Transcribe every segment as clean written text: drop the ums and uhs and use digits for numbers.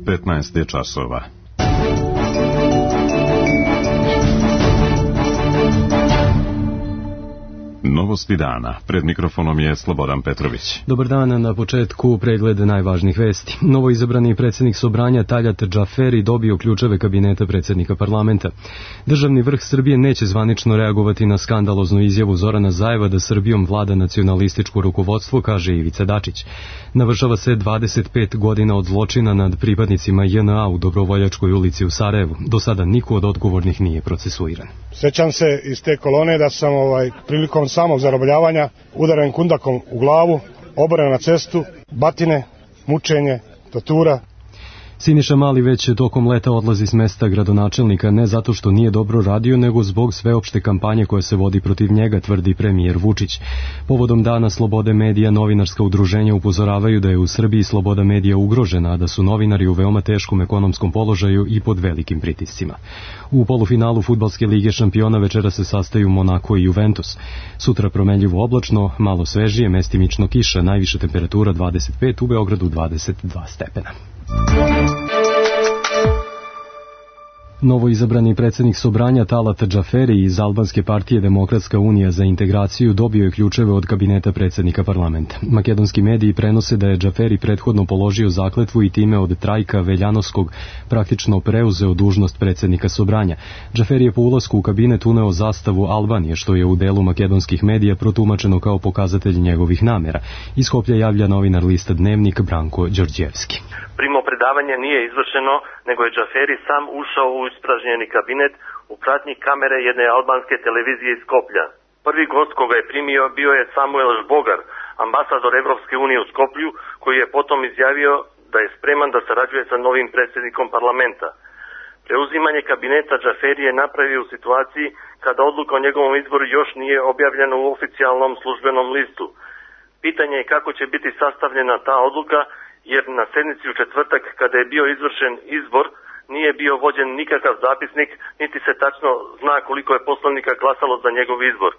15 je časova. Novosti dana. Pred mikrofonom je Slobodan Petrović. Dobar dan, na početku pregled najvažnijih vesti. Novoizabrani predsjednik Sobranja Taljat Džaferi dobio ključeve kabineta predsjednika parlamenta. Državni vrh Srbije neće zvanično reagovati na skandaloznu izjavu Zorana Zajeva da Srbijom vlada nacionalističko rukovodstvo, kaže Ivica Dačić. Navršava se 25 godina od zločina nad pripadnicima JNA u Dobrovoljačkoj ulici u Sarajevu. Do sada niko od odgovornih nije procesuiran. Sjećam se iz te kolone da sam prilikom samog zarobljavanja udaren kundakom u glavu, oboren na cestu, batine, mučenje, tortura. Siniša Mali već tokom leta odlazi s mesta gradonačelnika ne zato što nije dobro radio, nego zbog sveopšte kampanje koja se vodi protiv njega, tvrdi premijer Vučić. Povodom Dana slobode medija, novinarska udruženja upozoravaju da je u Srbiji sloboda medija ugrožena, a da su novinari u veoma teškom ekonomskom položaju i pod velikim pritiscima. U polufinalu Fudbalske lige šampiona večera se sastaju Monako i Juventus. Sutra promenljivo oblačno, malo svežije, mestimično kiša, najviša temperatura 25, u Beogradu 22 stepena. Novoizabrani predsjednik Sobranja Talat Džaferi iz albanske partije Demokratska unija za integraciju dobio je ključeve od kabineta predsjednika parlamenta. Makedonski mediji prenose da je Džaferi prethodno položio zakletvu i time od Trajka Veljanovskog praktično preuzeo dužnost predsjednika Sobranja. Džaferi je po ulasku u kabinet uneo zastavu Albanije, što je u delu makedonskih medija protumačeno kao pokazatelj njegovih namjera. Iz Skoplja javlja novinar lista Dnevnik Branko Đorđevski. Primopredavanje nije izvršeno, nego je Džaferi sam ušao u ispražnjeni kabinet u pratnji kamere jedne albanske televizije iz Skoplja. Prvi gost koga je primio bio je Samuel Žbogar, ambasador Evropske unije u Skoplju, koji je potom izjavio da je spreman da sarađuje sa novim predsjednikom parlamenta. Preuzimanje kabineta Džaferi je napravio u situaciji kada odluka o njegovom izboru još nije objavljena u oficijalnom službenom listu. Pitanje je kako će biti sastavljena ta odluka, jer na sednici u četvrtak, kada je bio izvršen izbor, nije bio vođen nikakav zapisnik, niti se tačno zna koliko je poslanika glasalo za njegov izbor.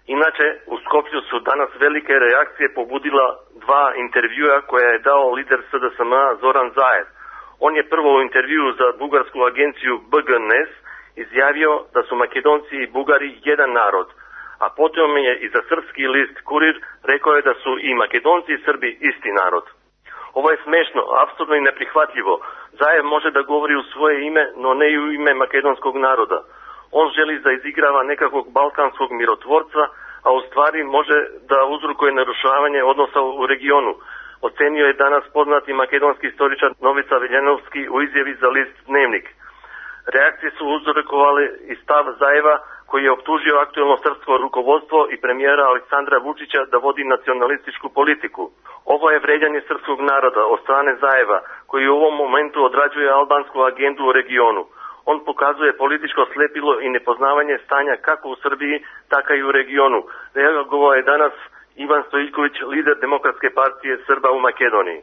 Inače, u Skoplju su danas velike reakcije pobudila dva intervjua koja je dao lider SDSM-a Zoran Zaev. On je prvo u intervjuu za bugarsku agenciju BGNS izjavio da su Makedonci i Bugari jedan narod, a potom je i za srpski list Kurir rekao je da su i Makedonci i Srbi isti narod. Ovo je smešno, apsurdno i neprihvatljivo. Zaev može da govori u svoje ime, no ne i u ime makedonskog naroda. On želi da izigrava nekakvog balkanskog mirotvorca, a u stvari može da uzrokuje narušavanje odnosa u regionu. Ocenio je danas poznati makedonski istoričar Novica Veljanovski u izjavi za list Dnevnik. Reakcije su uzrokovale i stav Zaeva, koji je optužio aktuelno srpsko rukovodstvo i premijera Aleksandra Vučića da vodi nacionalističku politiku. Ovo je vređanje srpskog naroda od strane Zaeva, koji u ovom momentu odrađuje albansku agendu u regionu. On pokazuje političko slepilo i nepoznavanje stanja kako u Srbiji, tako i u regionu. Reagovao je danas Ivan Stojiljković, lider Demokratske partije Srba u Makedoniji.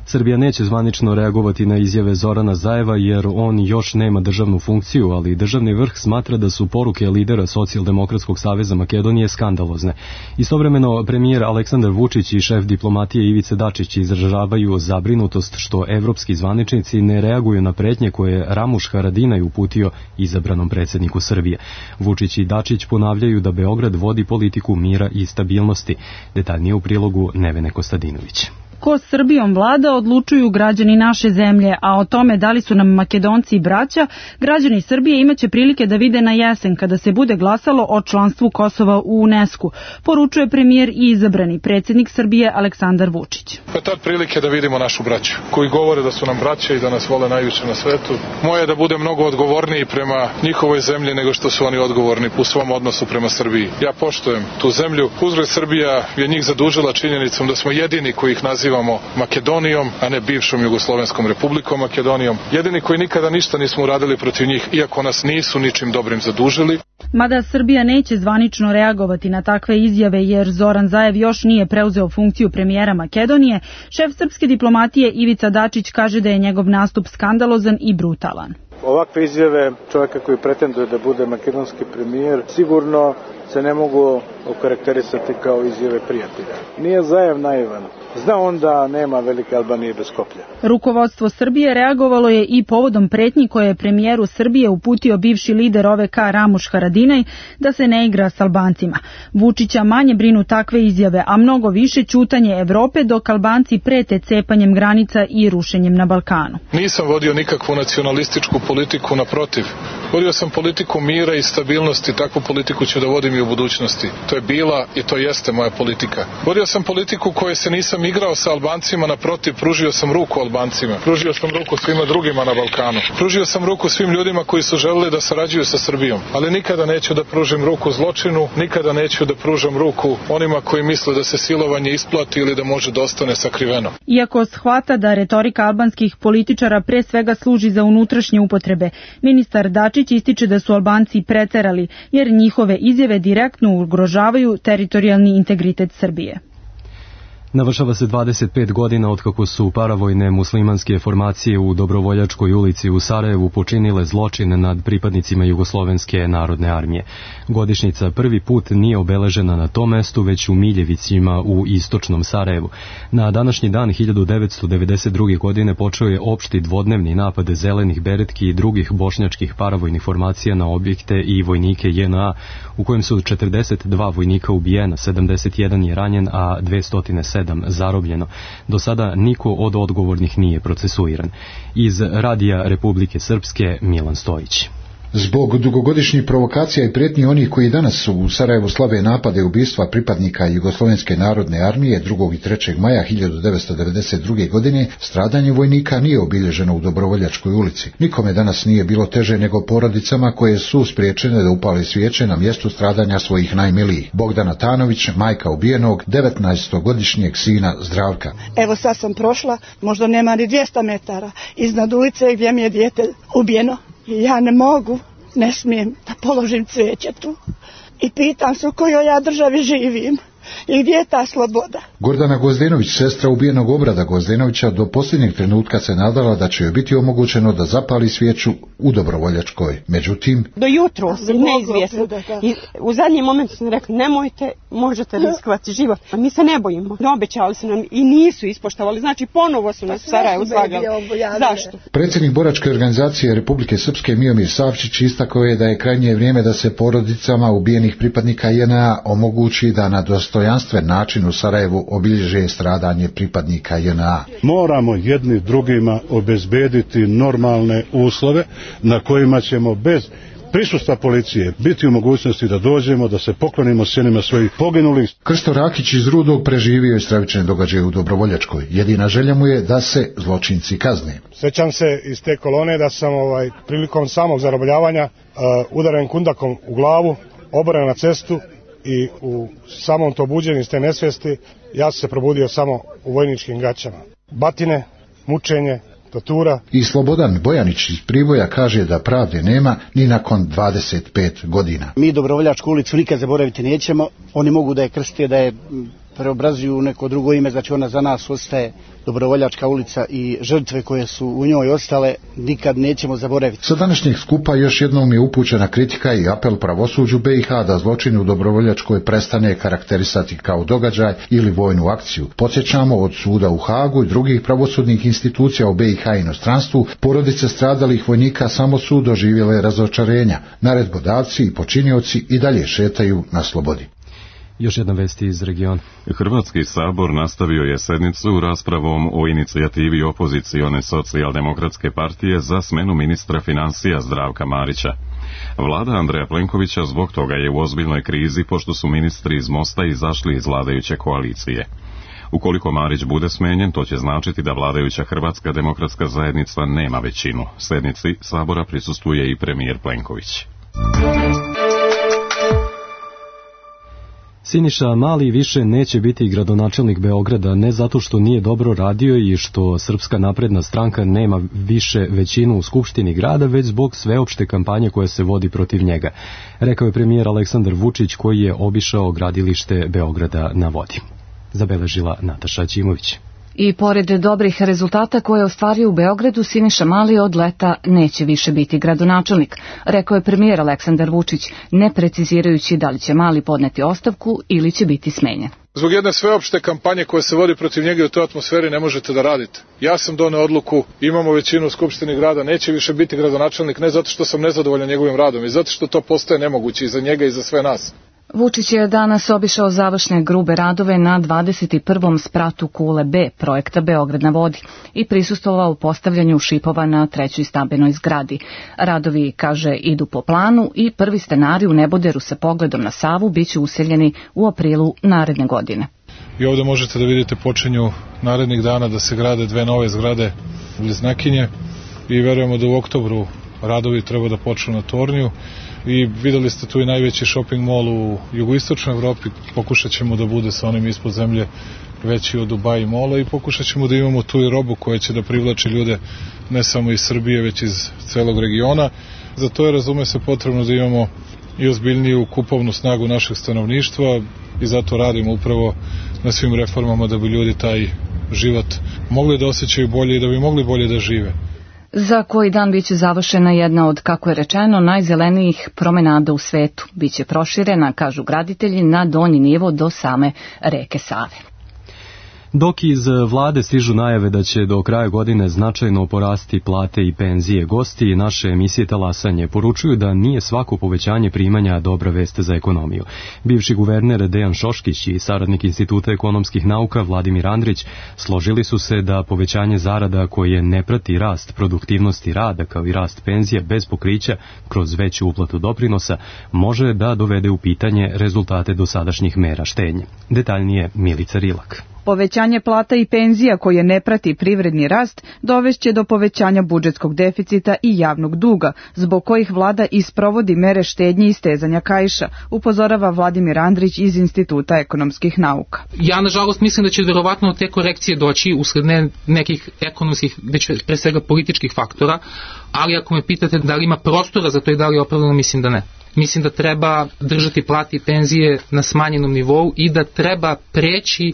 Srbija neće zvanično reagovati na izjave Zorana Zajeva jer on još nema državnu funkciju, ali državni vrh smatra da su poruke lidera Socijaldemokratskog saveza Makedonije skandalozne. Istovremeno premijer Aleksandar Vučić i šef diplomatije Ivica Dačić izražavaju zabrinutost što evropski zvaničnici ne reaguju na pretnje koje je Ramuš Haradinaj uputio izabranom predsjedniku Srbije. Vučić i Dačić ponavljaju da Beograd vodi politiku mira i stabilnosti. Detaljnije u prilogu Nevene Kostadinović. Ko Srbijom vlada odlučuju građani naše zemlje, a o tome da li su nam Makedonci i braća, građani Srbije imaće prilike da vide na jesen kada se bude glasalo o članstvu Kosova u UNESCO, poručuje premijer i izabrani predsjednik Srbije Aleksandar Vučić. Pa tad prilike da vidimo našu braću, koji govore da su nam braća i da nas vole najviše na svetu. Moje je da bude mnogo odgovorniji prema njihovoj zemlji nego što su oni odgovorni u svom odnosu prema Srbiji. Ja poštujem tu zemlju. Uzgred Srbija je njih zadužila činjenicom da smo jedini koji ih nazivamo Makedonijom, a ne bivšom Jugoslovenskom republikom Makedonijom. Jedini koji nikada ništa nismo uradili protiv njih, iako nas nisu ničim dobrim zadužili. Mada Srbija neće zvanično reagovati na takve izjave jer Zoran Zaev još nije preuzeo funkciju premijera Makedonije, šef srpske diplomatije Ivica Dačić kaže da je njegov nastup skandalozan i brutalan. Ovakve izjave čovjeka koji pretenduje da bude makedonski premijer sigurno se ne mogu okarakterisati kao izjave prijatelja. Nije Zaev naivan. Zna on da nema velike Albanije bez Skoplja. Rukovodstvo Srbije reagovalo je i povodom pretnji koje je premijeru Srbije uputio bivši lider OVK Ramuš Haradinaj da se ne igra s Albancima. Vučića manje brinu takve izjave, a mnogo više ćutanje Evrope dok Albanci prete cepanjem granica i rušenjem na Balkanu. Nisam vodio nikakvu nacionalističku politiku, naprotiv. Vodio sam politiku mira i stabilnosti, takvu politiku ću da vodim i u budućnosti. To je bila i to jeste moja politika. Vodio sam politiku koje se nisam igrao sa Albancima, naprotiv, pružio sam ruku Albancima. Pružio sam ruku svima drugima na Balkanu. Pružio sam ruku svim ljudima koji su želeli da sarađuju sa Srbijom. Ali nikada neću da pružim ruku zločinu, nikada neću da pružam ruku onima koji misle da se silovanje isplati ili da može da ostane sakriveno. Iako shvata da retorika albanskih političara pre svega služi za unutrašnje upotrebe, ministar Dačić ističe da su Albanci preterali, jer njihove izjave direktno ugrožavaju teritorijalni integritet Srbije. Navršava se 25 godina otkako su paravojne muslimanske formacije u Dobrovoljačkoj ulici u Sarajevu počinile zločin nad pripadnicima Jugoslovenske narodne armije. Godišnjica prvi put nije obeležena na tom mestu, već u Miljevicima u istočnom Sarajevu. Na današnji dan 1992. godine počeo je opšti dvodnevni napad zelenih beretki i drugih bošnjačkih paravojnih formacija na objekte i vojnike JNA, u kojem su 42 vojnika ubijena, 71 je ranjen, a 207 zarobljeno. Do sada niko od odgovornih nije procesuiran. Iz Radija Republike Srpske, Milan Stojić. Zbog dugogodišnjih provokacija i prijetnji onih koji danas u Sarajevu slave napade i ubistva pripadnika Jugoslovenske narodne armije 2. i 3. maja 1992. godine, stradanje vojnika nije obilježeno u Dobrovoljačkoj ulici. Nikome danas nije bilo teže nego porodicama koje su spriječene da upale svijeće na mjestu stradanja svojih najmilijih. Bogdana Tanović, majka ubijenog 19-godišnjeg sina Zdravka. Evo sad sam prošla, možda nema ni 200 metara iznad ulice gdje mi je dijete ubijeno. Ja ne mogu, ne smijem da položim cvijeće tu. I pitam se u kojoj ja državi živim i gdje je ta sloboda. Gordana Gozdenović, sestra ubijenog Obrada Gozdenovića, do posljednjeg trenutka se nadala da će joj biti omogućeno da zapali svijeću u Dobrovoljačkoj. Međutim, do jutro si neizvjesno. I u zadnjem momentu sam rekla, nemojte, možete riskovati život. A mi se ne bojimo. Obećali su nam i nisu ispoštovali. Znači ponovo su nas u Sarajevu zvagali. Zašto? Predsjednik boračke organizacije Republike Srpske Miomir Savčić istakao je da je krajnje vrijeme da se porodicama ubijenih pripadnika JNA omogući da na dostojanstven način u Sarajevu obilježe stradanje pripadnika JNA. Moramo jedni drugima obezbediti normalne uslove na kojima ćemo bez prisustva policije biti u mogućnosti da dođemo, da se poklonimo sjenima svojih poginulih. Krsto Rakić iz Rudog preživio je stravične događaje u Dobrovoljačkoj. Jedina želja mu je da se zločinci kazne. Sjećam se iz te kolone da sam prilikom samog zarobljavanja udaren kundakom u glavu, oboren na cestu i u samom to buđenju iz te nesvijesti ja sam se probudio samo u vojničkim gaćama. Batine, mučenje, tortura. I Slobodan Bojanić iz Priboja kaže da pravde nema ni nakon 25 godina. Mi Dobrovoljačku ulicu nikad zaboraviti nećemo. Oni mogu da je krste, da je preobrazuju u neko drugo ime, znači ona za nas ostaje Dobrovoljačka ulica i žrtve koje su u njoj ostale nikad nećemo zaboraviti. Sa današnjeg skupa još jednom je upućena kritika i apel pravosuđu BiH da zločin u Dobrovoljačkoj prestane karakterisati kao događaj ili vojnu akciju. Podsjećamo, od suda u Hagu i drugih pravosudnih institucija u BiH i inostranstvu, porodice stradalih vojnika samo su doživjele razočarenja. Naredbodavci i počinioci i dalje šetaju na slobodi. Još jedna vest iz regiona. Hrvatski sabor nastavio je sednicu raspravom o inicijativi opozicione socijaldemokratske partije za smenu ministra financija Zdravka Marića. Vlada Andreja Plenkovića zbog toga je u ozbiljnoj krizi pošto su ministri iz Mosta izašli iz vladajuće koalicije. Ukoliko Marić bude smenjen, to će značiti da vladajuća Hrvatska demokratska zajednica nema većinu. Sednici sabora prisustvuje i premijer Plenković. Siniša Mali više neće biti gradonačelnik Beograda, ne zato što nije dobro radio i što Srpska napredna stranka nema više većinu u Skupštini grada, već zbog sveopšte kampanje koja se vodi protiv njega, rekao je premijer Aleksandar Vučić koji je obišao gradilište Beograda na vodi. Zabeležila Nataša Ćimović. I pored dobrih rezultata koje je ostvario u Beogradu, Siniša Mali od leta neće više biti gradonačelnik, rekao je premijer Aleksandar Vučić, ne precizirajući da li će Mali podneti ostavku ili će biti smenjen. Zbog jedne sveopšte kampanje koja se vodi protiv njega i u toj atmosferi ne možete da radite. Ja sam doneo odluku, imamo većinu u Skupštini grada, neće više biti gradonačelnik, ne zato što sam nezadovoljan njegovim radom, i zato što to postaje nemoguće i za njega i za sve nas. Vučić je danas obišao završne grube radove na 21. spratu Kule B projekta Beograd na vodi i prisustvovao postavljanju šipova na 3. stambenoj zgradi. Radovi, kaže, idu po planu i prvi stanari u Neboderu sa pogledom na Savu biće useljeni u aprilu naredne godine. I ovde možete da vidite počinju narednih dana da se grade 2 nove zgrade bliznakinje i verujemo da u oktobru radovi treba da počnu na Torniju. I videli ste tu i najveći shopping mall u jugoistočnoj Evropi, pokušat ćemo da bude sa onim ispod zemlje veći od Dubai mola i pokušat ćemo da imamo tu i robu koja će da privlači ljude ne samo iz Srbije, već iz celog regiona. Za to je, razume se, potrebno da imamo i ozbiljniju kupovnu snagu našeg stanovništva i zato radimo upravo na svim reformama da bi ljudi taj život mogli da osjećaju bolje i da bi mogli bolje da žive. Za koji dan biće završena jedna od, kako je rečeno, najzelenijih promenada u svetu. Biće proširena, kažu graditelji, na donji nivo do same reke Save. Dok iz vlade stižu najave da će do kraja godine značajno porasti plate i penzije, gosti naše emisije Talasanje poručuju da nije svako povećanje primanja dobra vest za ekonomiju. Bivši guverner Dejan Šoškić i saradnik Instituta ekonomskih nauka Vladimir Andrić složili su se da povećanje zarada koje ne prati rast produktivnosti rada kao i rast penzija bez pokrića kroz veću uplatu doprinosa može da dovede u pitanje rezultate dosadašnjih mera štednje. Detaljnije Milica Rilak. Povećanje plata i penzija koje ne prati privredni rast dovešće do povećanja budžetskog deficita i javnog duga, zbog kojih vlada isprovodi mere štednje i stezanja kaiša, upozorava Vladimir Andrić iz Instituta ekonomskih nauka. Ja, nažalost, mislim da će verovatno te korekcije doći usled nekih ekonomskih, već pre svega političkih faktora, ali ako me pitate da li ima prostora za to i da li je opravdano, mislim da ne. Mislim da treba držati plate i penzije na smanjenom nivou i da treba preći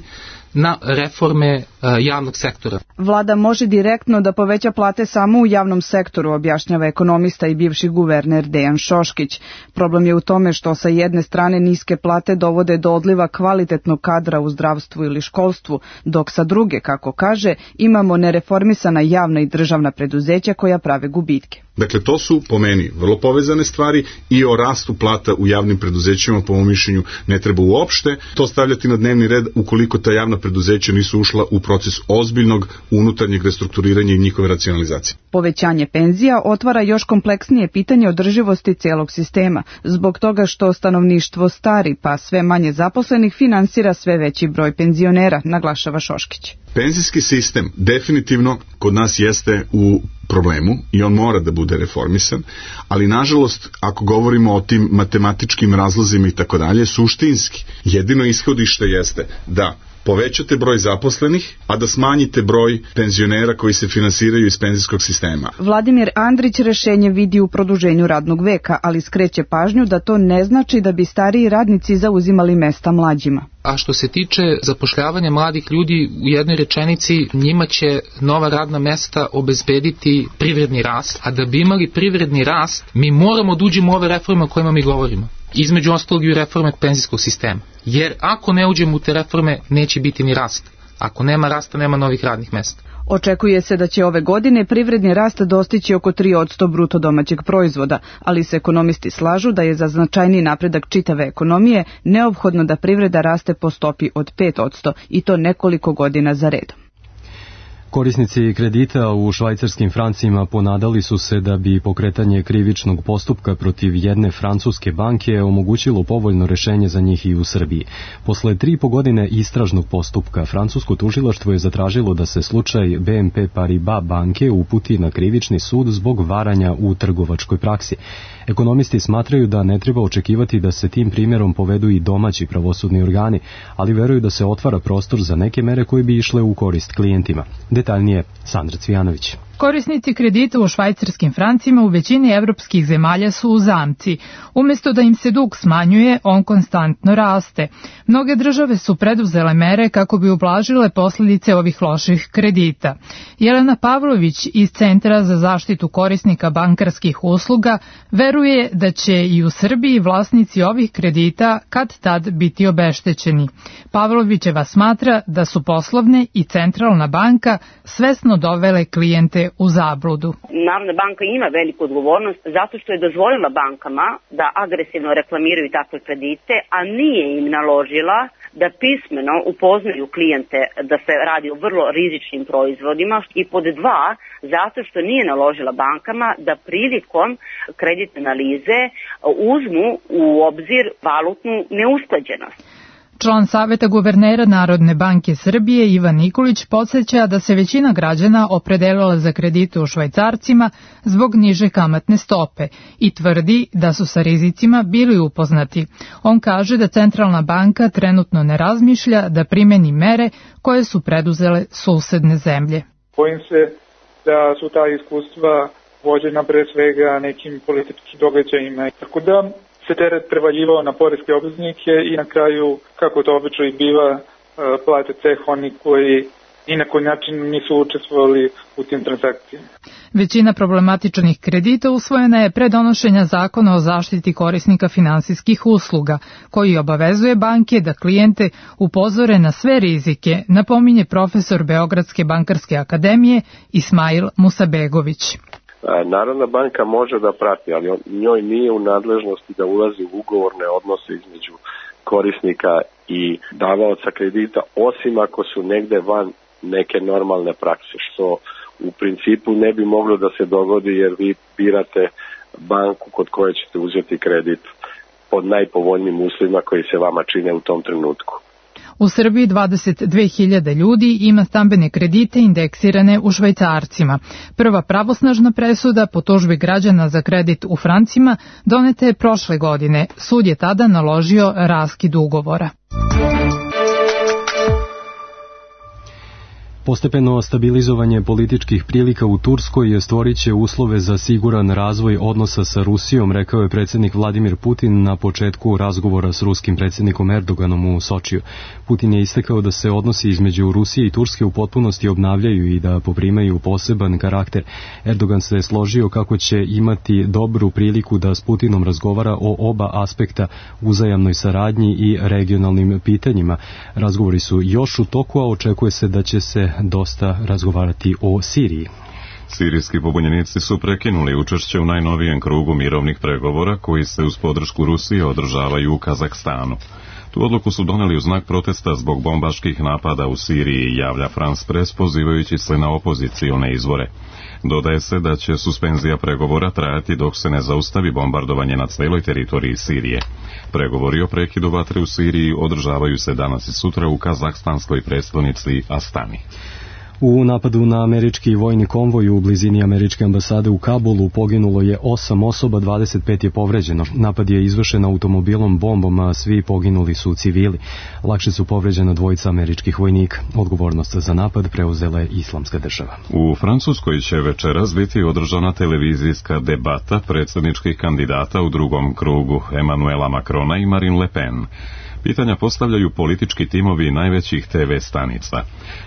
na reforme javnog sektora. Vlada može direktno da poveća plate samo u javnom sektoru, objašnjava ekonomista i bivši guverner Dejan Šoškić. Problem je u tome što sa jedne strane niske plate dovode do odliva kvalitetnog kadra u zdravstvu ili školstvu, dok sa druge, kako kaže, imamo nereformisana javna i državna preduzeća koja prave gubitke. Dakle, to su po meni vrlo povezane stvari i o rastu plata u javnim preduzećima, po mom mišljenju, ne treba uopšte to stavljati na dnevni red ukoliko ta javna preduzeća nisu ušla u proces ozbiljnog unutarnjeg restrukturiranja i njihove racionalizacije. Povećanje penzija otvara još kompleksnije pitanje održivosti celog sistema, zbog toga što stanovništvo stari pa sve manje zaposlenih finansira sve veći broj penzionera, naglašava Šoškić. Penzijski sistem definitivno kod nas jeste u problemu i on mora da bude reformisan, ali nažalost ako govorimo o tim matematičkim razlozima i tako dalje, suštinski jedino ishodište jeste da povećate broj zaposlenih, a da smanjite broj penzionera koji se finansiraju iz penzijskog sistema. Vladimir Andrić rešenje vidi u produženju radnog veka, ali skreće pažnju da to ne znači da bi stariji radnici zauzimali mesta mlađima. A što se tiče zapošljavanja mladih ljudi, u jednoj rečenici njima će nova radna mesta obezbediti privredni rast, a da bi imali privredni rast, mi moramo da uđemo u ove reforme o kojima mi govorimo. Između ostalog i reforme penzijskog sistema. Jer ako ne uđemo u te reforme, neće biti ni rast. Ako nema rasta, nema novih radnih mesta. Očekuje se da će ove godine privredni rast dostići oko 3% bruto domaćeg proizvoda, ali se ekonomisti slažu da je za značajni napredak čitave ekonomije neophodno da privreda raste po stopi od 5% i to nekoliko godina za redom. Korisnici kredita u švajcarskim francima ponadali su se da bi pokretanje krivičnog postupka protiv jedne francuske banke omogućilo povoljno rešenje za njih i u Srbiji. Posle 3,5 godine istražnog postupka, francusko tužilaštvo je zatražilo da se slučaj BNP Paribas banke uputi na krivični sud zbog varanja u trgovačkoj praksi. Ekonomisti smatraju da ne treba očekivati da se tim primjerom povedu i domaći pravosudni organi, ali veruju da se otvara prostor za neke mere koje bi išle u korist klijentima. Detaljnije Sandra Cvijanović. Korisnici kredita u švajcarskim francima u većini evropskih zemalja su u zamci. Umjesto da im se dug smanjuje, on konstantno raste. Mnoge države su preduzele mere kako bi ublažile posljedice ovih loših kredita. Jelena Pavlović iz Centra za zaštitu korisnika bankarskih usluga veruje da će i u Srbiji vlasnici ovih kredita kad tad biti obeštećeni. Pavlovićeva smatra da su poslovne i centralna banka svesno dovele klijente u zabludu. Narodna banka ima veliku odgovornost zato što je dozvolila bankama da agresivno reklamiraju takve kredite, a nije im naložila da pismeno upoznaju klijente da se radi o vrlo rizičnim proizvodima, i pod dva, zato što nije naložila bankama da prilikom kreditne analize uzmu u obzir valutnu neusklađenost. Član Saveta guvernera Narodne banke Srbije Ivan Nikolić podsjeća da se većina građana opredelila za kredite u švajcarcima zbog niže kamatne stope i tvrdi da su sa rizicima bili upoznati. On kaže da centralna banka trenutno ne razmišlja da primeni mere koje su preduzele susedne zemlje. Bojim se da su ta iskustva vođena pre svega nekim političkim događajima. Tako da se teret prevaljivao na poreske obveznike i na kraju, kako to obično i biva, plate ceh oni koji ni na koji način nisu učestvovali u tim transakcijama. Većina problematičnih kredita usvojena je pre donošenja zakona o zaštiti korisnika finansijskih usluga, koji obavezuje banke da klijente upozore na sve rizike, napominje profesor Beogradske bankarske akademije Ismail Musabegović. Narodna banka može da prati, ali njoj nije u nadležnosti da ulazi u ugovorne odnose između korisnika i davaoca kredita, osim ako su negde van neke normalne prakse, što u principu ne bi moglo da se dogodi jer vi birate banku kod koje ćete uzeti kredit pod najpovoljnijim uslovima koji se vama čine u tom trenutku. U Srbiji 22.000 ljudi ima stambene kredite indeksirane u švajcarcima. Prva pravosnažna presuda po tužbi građana za kredit u francima doneta je prošle godine. Sud je tada naložio raskid ugovora. Postepeno stabilizovanje političkih prilika u Turskoj stvorit će uslove za siguran razvoj odnosa sa Rusijom, rekao je predsjednik Vladimir Putin na početku razgovora s ruskim predsjednikom Erdoganom u Sočiju. Putin je istakao da se odnosi između Rusije i Turske u potpunosti obnavljaju i da poprimaju poseban karakter. Erdogan se složio kako će imati dobru priliku da s Putinom razgovara o oba aspekta, uzajamnoj saradnji i regionalnim pitanjima. Razgovori su još u toku, a očekuje se da će se dosta razgovarati o Siriji. Sirijski pobunjenici su prekinuli učešće u najnovijem krugu mirovnih pregovora koji se uz podršku Rusije održavaju u Kazahstanu. Tu odluku su doneli u znak protesta zbog bombaških napada u Siriji, javlja France Press pozivajući se na opozicione izvore. Dodaje se da će suspenzija pregovora trajati dok se ne zaustavi bombardovanje na celoj teritoriji Sirije. Pregovori o prekidu vatre u Siriji održavaju se danas i sutra u kazahstanskoj prestonici Astani. U napadu na američki vojni konvoj u blizini američke ambasade u Kabulu poginulo je 8 osoba, 25 je povređeno. Napad je izvršen automobilom bombom, a svi poginuli su civili. Lakše su povređena dvojica američkih vojnika. Odgovornost za napad preuzela je Islamska država. U Francuskoj će večeras biti održana televizijska debata predsjedničkih kandidata u drugom krugu, Emmanuela Macrona i Marine Le Pen. Pitanja postavljaju politički timovi najvećih TV stanica.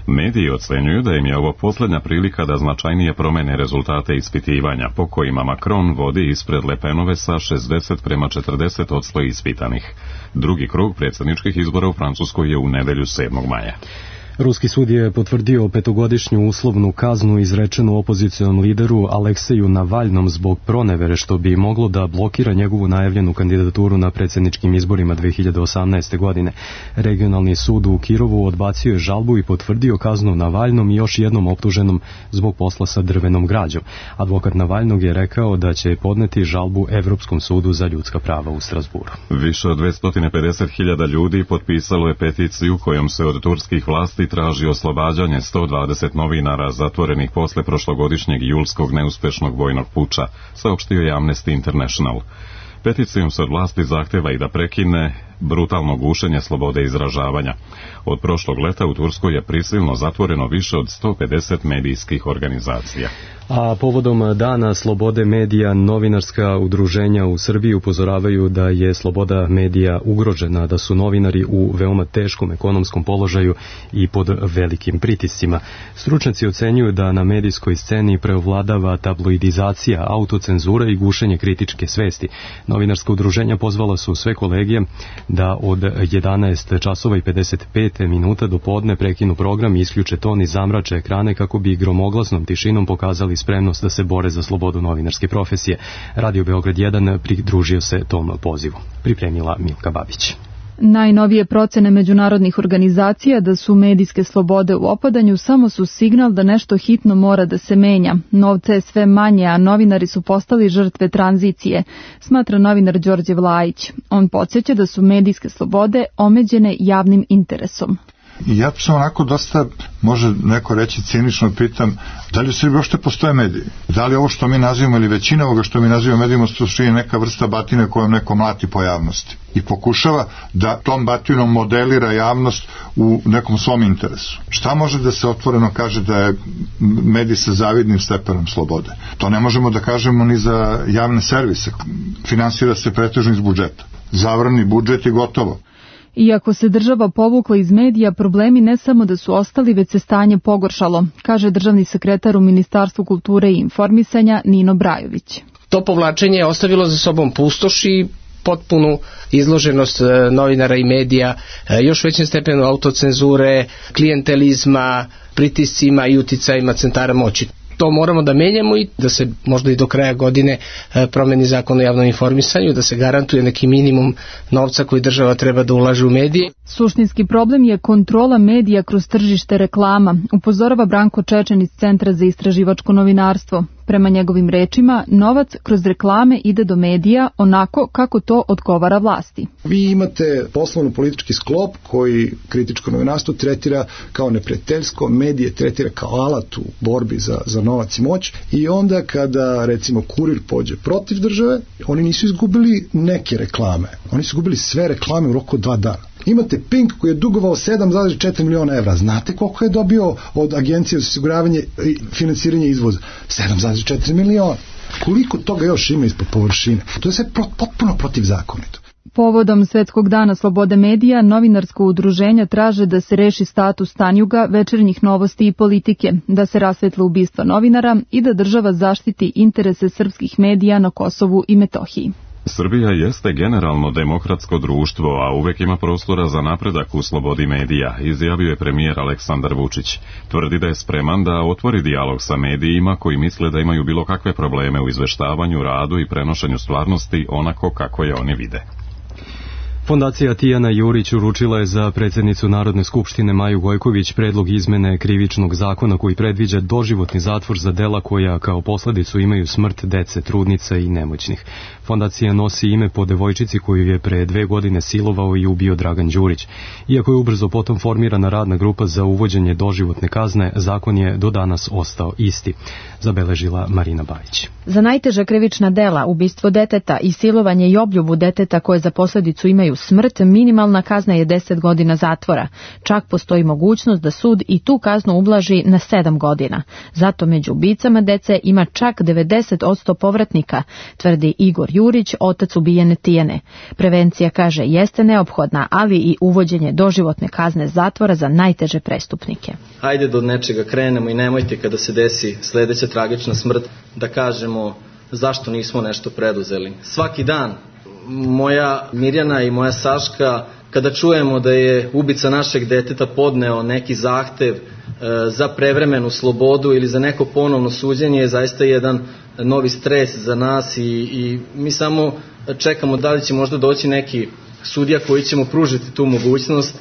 Mediji ocenjuju da im je ovo posljednja prilika da značajnije promene rezultate ispitivanja, po kojima Macron vodi ispred Le Penove sa 60:40% ispitanih. Drugi krug predsjedničkih izbora u Francuskoj je u nedelju 7. maja. Ruski sud je potvrdio 5-godišnju uslovnu kaznu izrečenu opozicionom lideru Alekseju Navalnom zbog pronevere, što bi moglo da blokira njegovu najavljenu kandidaturu na predsjedničkim izborima 2018. godine. Regionalni sud u Kirovu odbacio je žalbu i potvrdio kaznu Navalnom i još jednom optuženom zbog posla sa drvenom građom. Advokat Navalnog je rekao da će podneti žalbu Evropskom sudu za ljudska prava u Strasburu. Više od 250.000 ljudi potpisalo je peticiju kojom se od turskih vlasti traži oslobađanje 120 novinara zatvorenih posle prošlogodišnjeg julskog neuspešnog vojnog puča, saopštio je Amnesty International. Peticijom se od vlasti zahteva i da prekine brutalno gušenje slobode izražavanja. Od prošlog leta u Turskoj je prisilno zatvoreno više od 150 medijskih organizacija. A povodom Dana slobode medija, novinarska udruženja u Srbiji upozoravaju da je sloboda medija ugrožena, da su novinari u veoma teškom ekonomskom položaju i pod velikim pritiscima. Stručnjaci ocenjuju da na medijskoj sceni preovladava tabloidizacija, autocenzura i gušenje kritičke svesti. Novinarska udruženja pozvala su sve kolegije da od 11 časova i 55 minuta do podne prekinu program i isključe ton i zamrače ekrane kako bi gromoglasnom tišinom pokazali spremnost da se bore za slobodu novinarske profesije. Radio Beograd 1 pridružio se tom pozivu. Pripremila Milka Babić. Najnovije procene međunarodnih organizacija da su medijske slobode u opadanju samo su signal da nešto hitno mora da se menja. Novca je sve manje, a novinari su postali žrtve tranzicije, smatra novinar Đorđe Vlajić. On podsjeća da su medijske slobode omeđene javnim interesom. I ja sam onako dosta, može neko reći cinično, pitam, da li u Srbiji uopšte postoje mediji? Da li ovo što mi nazivamo ili većina ovoga što mi nazivamo medijima je neka vrsta batine kojom neko mlati po javnosti i pokušava da tom batinom modelira javnost u nekom svom interesu. Šta može da se otvoreno kaže da je medij sa zavidnim stepenom slobode? To ne možemo da kažemo ni za javne servise. Finansira se pretežno iz budžeta. Zavrani budžet i gotovo. Iako se država povukla iz medija, problemi ne samo da su ostali, već se stanje pogoršalo, kaže državni sekretar u Ministarstvu kulture i informisanja Nino Brajović. To povlačenje je ostavilo za sobom pustoš i potpunu izloženost novinara i medija, još većem stepenu autocenzure, klijentelizma, pritiscima i uticajima centara moći. To moramo da menjamo i da se možda i do kraja godine promeni zakon o javnom informisanju, da se garantuje neki minimum novca koji država treba da ulaže u medije. Suštinski problem je kontrola medija kroz tržište reklama, upozorava Branko Čečen iz Centra za istraživačko novinarstvo. Prema njegovim rečima, novac kroz reklame ide do medija onako kako to odgovara vlasti. Vi imate poslovno-politički sklop koji kritičko novinarstvo tretira kao neprijateljsko, medije tretira kao alat u borbi za novac i moć i onda kada recimo Kurir pođe protiv države, oni nisu izgubili neke reklame, oni su izgubili sve reklame u roku od 2 dana. Imate Pink koji je dugovao 7,4 miliona evra. Znate koliko je dobio od Agencije za osiguravanje i finansiranje izvoza? 7,4 miliona. Koliko toga još ima ispod površine? To je sve potpuno protivzakonito. Povodom Svetskog dana slobode medija, novinarsko udruženja traže da se reši status Tanjuga, Večernjih novosti i Politike, da se rasvetle ubistva novinara i da država zaštiti interese srpskih medija na Kosovu i Metohiji. Srbija jeste generalno demokratsko društvo, a uvek ima prostora za napredak u slobodi medija, izjavio je premijer Aleksandar Vučić. Tvrdi da je spreman da otvori dijalog sa medijima koji misle da imaju bilo kakve probleme u izveštavanju, radu i prenošenju stvarnosti onako kako je oni vide. Fondacija Tijana Jurić uručila je za predsjednicu Narodne skupštine Maju Gojković predlog izmene krivičnog zakona koji predviđa doživotni zatvor za dela koja kao posljedicu imaju smrt dece, trudnica i nemoćnih. Fondacija nosi ime po devojčici koju je pre 2 godine silovao i ubio Dragan Đurić. Iako je ubrzo potom formirana radna grupa za uvođenje doživotne kazne, zakon je do danas ostao isti, zabeležila Marina Bajić. Za najteža krivična dela, ubistvo deteta i silovanje i obljubu deteta koje za posljedicu imaju smrt, minimalna kazna je 10 godina zatvora. Čak postoji mogućnost da sud i tu kaznu ublaži na 7 godina. Zato među ubicama dece ima čak 90% povratnika, tvrdi Igor Jurić, otac ubijene Tijane. Prevencija, kaže, jeste neophodna, ali i uvođenje doživotne kazne zatvora za najteže prestupnike. Hajde da od nečega krenemo i nemojte kada se desi sljedeća tragična smrt da kažemo zašto nismo nešto preduzeli. Svaki dan moja Mirjana i moja Saška, kada čujemo da je ubica našeg deteta podneo neki zahtev za prevremenu slobodu ili za neko ponovno suđenje, je zaista jedan novi stres za nas i mi samo čekamo da li će možda doći neki sudija koji će mu pružiti tu mogućnost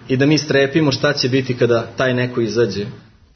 i da mi strepimo šta će biti kada taj neko izađe.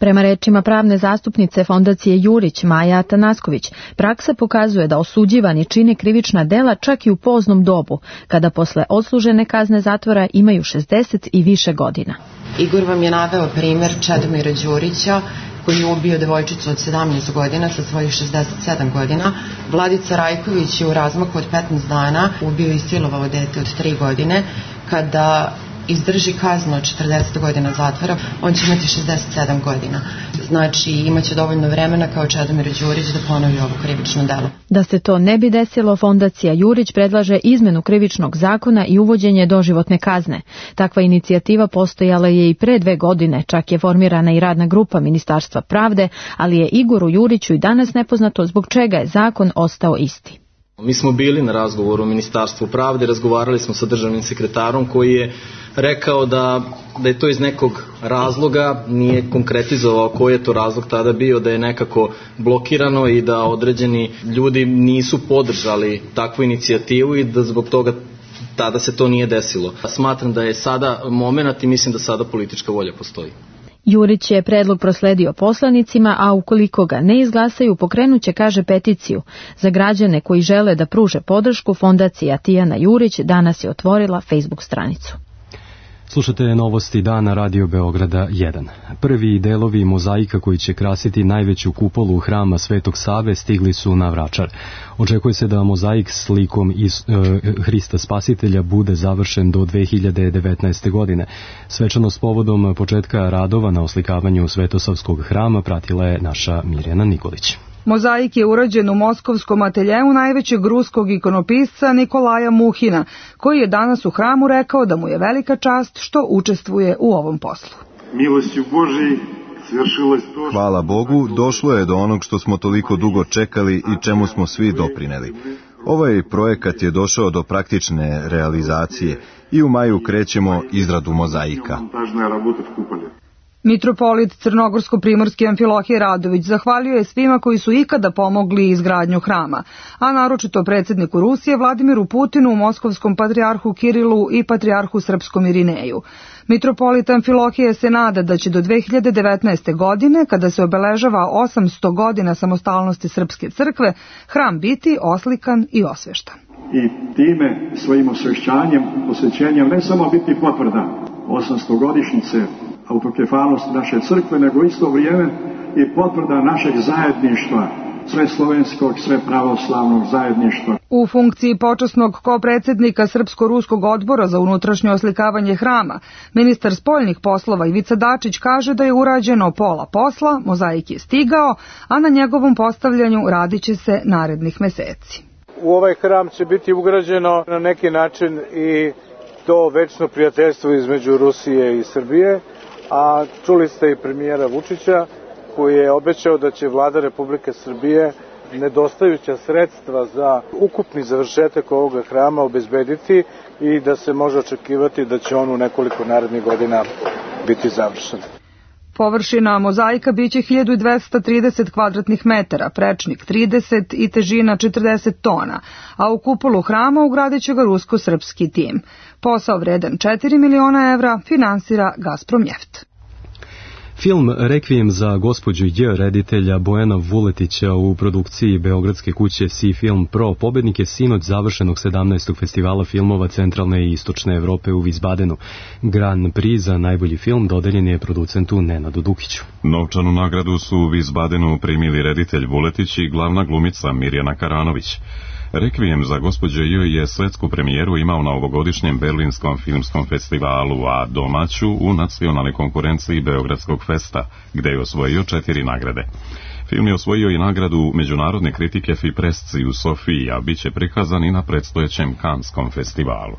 Prema rečima pravne zastupnice Fondacije Jurić, Maja Atanasković, praksa pokazuje da osuđivani čine krivična dela čak i u poznom dobu, kada posle odslužene kazne zatvora imaju 60 i više godina. Igor vam je naveo primjer Čedomira Đurića, koji je ubio devojčicu od 17 godina sa svojih 67 godina. Vladica Rajković je u razmaku od 15 dana ubio i silovao dete od 3 godine. Kada izdrži kaznu od 40 godina zatvora, on će imati 67 godina. Znači, imaće dovoljno vremena kao Čedomir Đurić da ponovi ovo krivično delo. Da se to ne bi desilo, Fondacija Jurić predlaže izmenu krivičnog zakona i uvođenje doživotne kazne. Takva inicijativa postojala je i pre 2 godine, čak je formirana i radna grupa Ministarstva pravde, ali je Igoru Juriću i danas nepoznato zbog čega je zakon ostao isti. Mi smo bili na razgovoru u Ministarstvu pravde, razgovarali smo sa državnim sekretarom koji je rekao da je to iz nekog razloga, nije konkretizovao koji je to razlog tada bio, da je nekako blokirano i da određeni ljudi nisu podržali takvu inicijativu i da zbog toga tada se to nije desilo. Smatram da je sada momenat i mislim da sada politička volja postoji. Jurić je predlog prosledio poslanicima, a ukoliko ga ne izglasaju, pokrenuće, kaže, peticiju. Za građane koji žele da pruže podršku, Fondacija Tijana Jurić danas je otvorila Facebook stranicu. Slušate novosti dana Radio Beograda 1. Prvi delovi mozaika koji će krasiti najveću kupolu hrama Svetog Save stigli su na Vračar. Očekuje se da mozaik s likom Hrista Spasitelja bude završen do 2019. godine. Svečanost povodom početka radova na oslikavanju Svetosavskog hrama pratila je naša Mirjana Nikolić. Mozaik je urađen u moskovskom ateljeu najvećeg ruskog ikonopisca Nikolaja Muhina, koji je danas u hramu rekao da mu je velika čast što učestvuje u ovom poslu. Hvala Bogu, došlo je do onog što smo toliko dugo čekali i čemu smo svi doprineli. Ovaj projekat je došao do praktične realizacije i u maju krećemo izradu mozaika. Mitropolit Crnogorsko-primorski Amfilohije Radović zahvalio je svima koji su ikada pomogli izgradnju hrama, a naročito predsjedniku Rusije Vladimiru Putinu, moskovskom patrijarhu Kirilu i patrijarhu srpskom Irineju. Mitropolit Amfilohije se nada da će do 2019. godine, kada se obeležava 800 godina samostalnosti Srpske crkve, hram biti oslikan i osveštan. I time svojim osvešćanjem, posvećenjem ne samo biti potvrda 800 godišnjice autokefalnosti naše crkve, nego isto vrijeme i potvrda našeg zajedništva, sve slovenskog, sve pravoslavnog zajedništva. U funkciji počasnog kopredsjednika Srpsko-ruskog odbora za unutrašnje oslikavanje hrama, ministar spoljnih poslova Ivica Dačić kaže da je urađeno pola posla, mozaik je stigao, a na njegovom postavljanju radit će se narednih meseci. U ovaj hram će biti ugrađeno na neki način i to večno prijateljstvo između Rusije i Srbije, a čuli ste i premijera Vučića koji je obećao da će vlada Republike Srbije nedostajuća sredstva za ukupni završetak ovoga hrama obezbediti i da se može očekivati da će on u nekoliko narednih godina biti završen. Površina mozaika biće 1230 kvadratnih metara, prečnik 30 i težina 40 tona, a u kupolu hrama ugradit će ga rusko-srpski tim. Posao vredan 4 miliona evra finansira Gazpromneft. Film Rekvijem za gospođu J reditelja Bojana Vuletića u produkciji beogradske kuće Si Film Pro pobednik je sinoć završenog 17. festivala filmova Centralne i Istočne Evrope u Vizbadenu. Grand Prix za najbolji film dodeljen je producentu Nenadu Dukiću. Novčanu nagradu su u Vizbadenu primili reditelj Vuletić i glavna glumica Mirjana Karanović. Rekvijem za gospođu J je svetsku premijeru imao na ovogodišnjem Berlinskom filmskom festivalu, a domaću u nacionalnoj konkurenciji Beogradskog festa, gde je osvojio 4 nagrade. Film je osvojio i nagradu međunarodne kritike Fipresci u Sofiji, a bit će prikazan i na predstojećem Kanskom festivalu.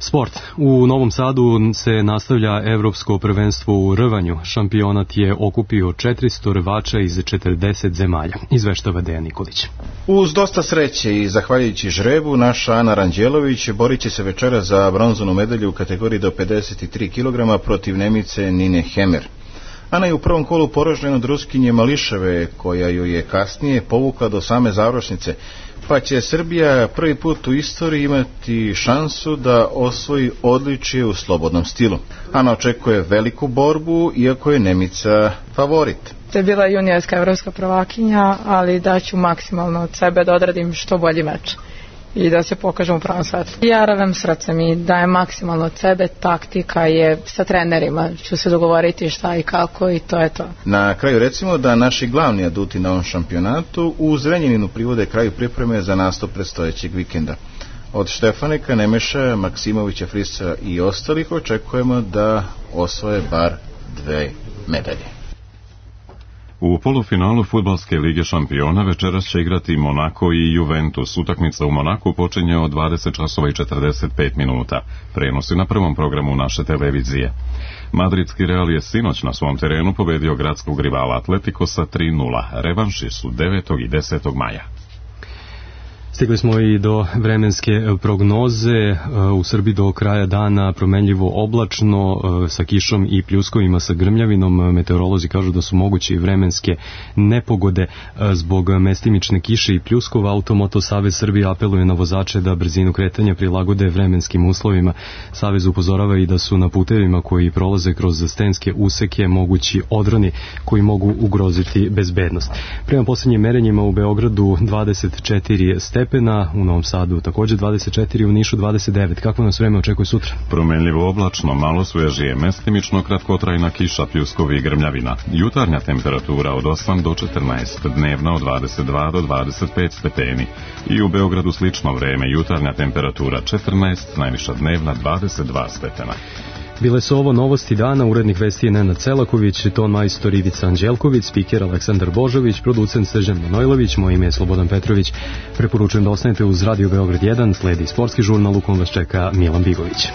Sport. U Novom Sadu se nastavlja Evropsko prvenstvo u rvanju. Šampionat je okupio 400 rvača iz 40 zemalja. Izveštava Dejan Nikolić. Uz dosta sreće i zahvaljujući žrebu, naša Ana Ranđelović borit će se večera za bronzanu medalju u kategoriji do 53 kg protiv Nemice Nine Hemer. Ana je u prvom kolu poražena od Ruskinje Mališeve, koja ju je kasnije povukla do same završnice, pa će Srbija prvi put u istoriji imati šansu da osvoji odličje u slobodnom stilu. Ana očekuje veliku borbu, iako je Nemica favorit. To je bila juniorska evropska prvakinja, ali daću maksimalno od sebe da odradim što bolji meč. i da se pokažemo u pravom svetlu. Ja radim srcem i dajem maksimalno od sebe, taktika je sa trenerima, ću se dogovoriti šta i kako i to je to. Na kraju recimo da naši glavni aduti na ovom šampionatu u Zrenjaninu privode kraju pripreme za nastup predstojećeg vikenda. Od Štefaneka, Nemeša, Maksimovića, Frisca i ostalih očekujemo da osvoje bar 2 medalje. U polufinalu Fudbalske lige šampiona večeras će igrati Monako i Juventus. Utakmica u Monaku počinje od 20 časova i 45 minuta. Prenosi na prvom programu naše televizije. Madridski Real je sinoć na svom terenu pobedio gradskog rivala Atletico sa 3:0. Revanši su 9. i 10. maja. Stigli smo i do vremenske prognoze. U Srbiji do kraja dana promenljivo oblačno sa kišom i pljuskovima sa grmljavinom. Meteorolozi kažu da su moguće vremenske nepogode zbog mestimične kiše i pljuskova. Automoto Savez Srbije apeluje na vozače da brzinu kretanja prilagode vremenskim uslovima. Savez upozorava i da su na putevima koji prolaze kroz stenske useke mogući odroni koji mogu ugroziti bezbednost. Prema posljednjim merenjima u Beogradu 24 stepena, u Novom Sadu također 24, u Nišu 29. Kako nas vreme očekuje sutra? Promenljivo oblačno, malo svežije, mestimično kratkotrajna kiša, pljuskovi i grmljavina. Jutarnja temperatura od 8 do 14, dnevna od 22 do 25 stepeni. I u Beogradu slično vreme, jutarnja temperatura 14, najviša dnevna 22 stepena. Bile su ovo novosti dana, urednik vesti je Nenad Celaković, ton majstor Ivica Anđelković, spiker Aleksandar Božović, producent Srđan Manojlović, moje ime je Slobodan Petrović. Preporučujem da ostanete uz Radio Beograd 1, sledi sportski žurnal u kom vas čeka Milan Bigović.